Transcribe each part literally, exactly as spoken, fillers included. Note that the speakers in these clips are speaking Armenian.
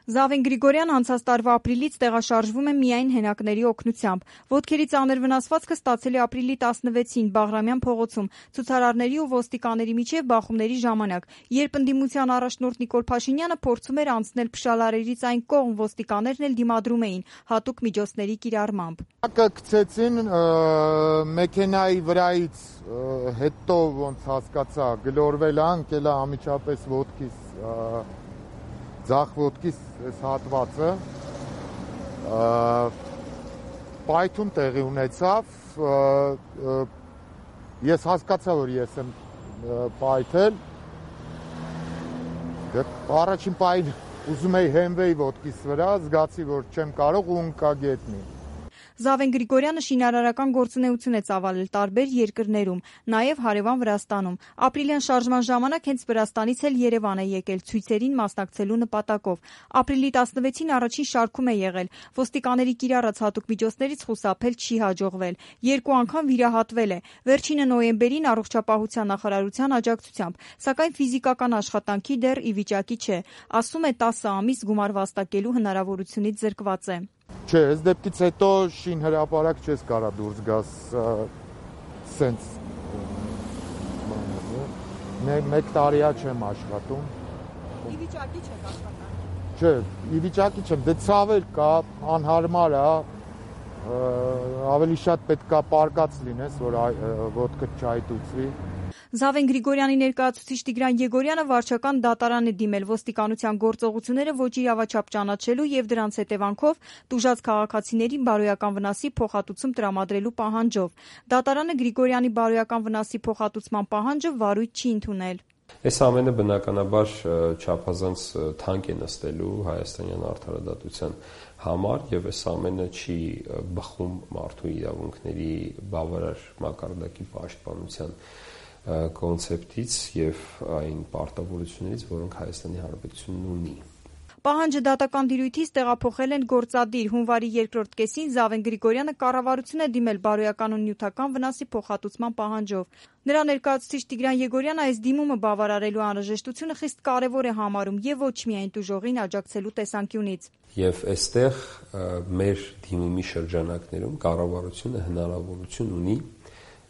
Զավեն Գրիգորյանը անցած տարվա ապրիլից տեղաշարժվում է միայն հենակների օգնությամբ։ Ոտքերի ծանր վնասվածքը ստացել է ապրիլի տասնվեցին Բաղրամյան փողոցում ցուցարարների ու ոստիկանների միջև բախումների ժամանակ, երբ ընդդիմության առաջնորդ Նիկոլ Փաշինյանը փորձում էր անցնել փշալարերից այն կողմ, ոստիկաններն էլ դիմադրում էին հատուկ միջոցների կիրառմամբ։ Գցեցին մեքենայի վրայից, հետո ոնց հասկացա գլորվել է, ընկել է անմիջապես ոտքիս ձախ ոտքիս այս հատվածը, պայթուն տեղի ունեցավ, ես հասկացա, որ ես եմ պայթել, առաջին պահին ուզում էի հենվեի ոտքիս վրա, զգացի, որ չեմ կարող ու ընկա գետնին։ Զավեն Գրիգորյանը շինարարական գործունեություն է ծավալել տարբեր երկրներում, նաև հարևան Վրաստանում։ Ապրիլյան շարժման ժամանակ հենց Վրաստանից էլ Երևան է եկել ցույցերին մասնակցելու նպատակով։ Ապրիլի տասնվեցին առաջին շարքում է եղել։ Ոստիկանների կիրառած հատուկ միջոցներից խուսափել չի հաջողվել։ Երկու անգամ վիրահատվել է։ Վերջինը նոյեմբերին առողջապահության նախարարության աջակցությամբ, սակայն ֆիզիկական աշխատանքի դեռ ի վիճակի չէ։ Ասում է տասը ամիս գումար վաստակելու հնարավորությունից զրկված է։ Չէ, այս դեպքից հետո շին հրապարակ չես կարա դուրս գաս սենց մեկ տարիա չեմ աշխատում։ Ի վիճակի չեք աշխատանքի։ Չէ, ի վիճակի չեմ, դե ցավել կա, անհարմար է, ավելի շատ պետք է պարկած լինես, որ ոտքդ չայտուցվի։ Զավեն Գրիգորյանի ներկայացուցիչ Տիգրան Եգորյանը վարչական դատարան է դիմել ոստիկանության գործողությունները ոչ իրավաչափ ճանաչելու եւ դրանց հետևանքով տուժած քաղաքացիների բարոյական վնասի փոխհատուցում տրամադրելու պահանջով։ Դատարանը Գրիգորյանի բարոյական վնասի փոխհատուցման պահանջը վարույթ չի ընդունել։ Այս ամենը բնականաբար չափազանց թանկ է նստելու հայաստանյան արդարադատության համար եւ այս ամենը չի բխում մարդու իրավունքների բավարար մակարդակի պաշտպանության կոնցեպտից եւ այն պարտավորություններից, որոնք Հայաստանի Հանրապետությունն ունի։ Պահանջը դատական դիրույթից տեղափոխել են գործադիր հունվարի երկրորդ կեսին Զավեն Գրիգորյանը կառավարություն է դիմել բարոյական ու նյութական վնասի փոխհատուցման պահանջով։ Նրա ներկայացուցիչ Տիգրան Եգորյանը այս դիմումը բավարարելու անհրաժեշտությունը խիստ կարևոր է համարում եւ ոչ միայն տուժողին աջակցելու տեսանկյունից։ Եվ այստեղ մեր դիմումի շրջանակներում կառավարությունը հնարավորություն ունի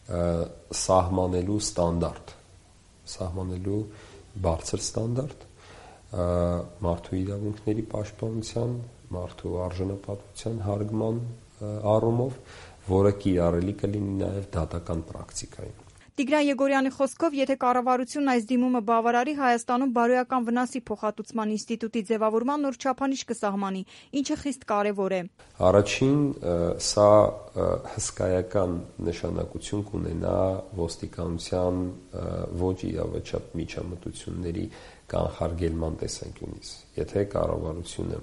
սահմանելու ստանդարտ, սահմանելու բարձր ստանդարտ մարդու իրավունքների պաշտպանության, մարդու արժանապատվության հարգման առումով, որը կիրառելի կլինի նաև դատական պրակտիկայում։ Տիգրան Եգորյանի խոսքով, եթե կառավարությունն այս դիմումը բավարարի, Հայաստանում բարոյական վնասի փոխհատուցման ինստիտուտի ձևավորման նոր չափանիշ կսահմանի, ինչը խիստ կարևոր է։ Առաջին, սա հսկայական նշանակություն կունենա ոստիկանության ոչ իրավաչափ միջամտությունների կանխարգելման տեսանկյունից։ Եթե կառավարությունը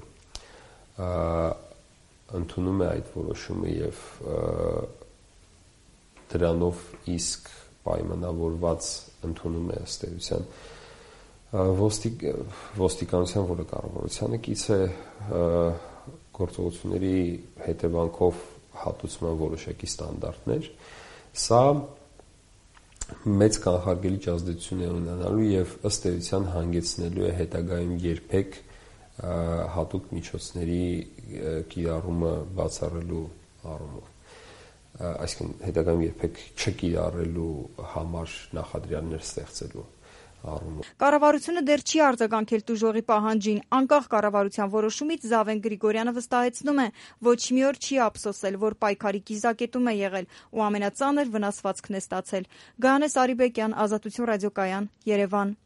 ընդունում է այդ որոշումը եւ դրանով իսկ պայմանավորված ընդունում է ըստ էության ոստիկ, ոստիկանության, որը կառավարությանը կից է, գործողությունների հետևանքով հատուցման որոշակի ստանդարտներ, սա մեծ կանխարգելիչ ազդեցություն է ունենալու եւ ըստ էության հանգեցնելու է հետագայում երբեք հատուկ միջոցների կիրառումը բացառելու առումով։ Այսինքն հետագայում երբեք չկիրառելու համար նախադրյալներ ստեղծելու առումով։ Կառավարությունը դեռ չի արձագանքել տուժողի պահանջին։ Անկախ կառավարության որոշումից Զավեն Գրիգորյանը վստահեցնում է, ոչ մի օր չի ափսոսել, որ պայքարի կիզակետում է եղել ու ամենածանր վնասվածքն է ստացել։ Գայանես Արիբեկյան, Ազատություն ռադիոկայան, Երևան։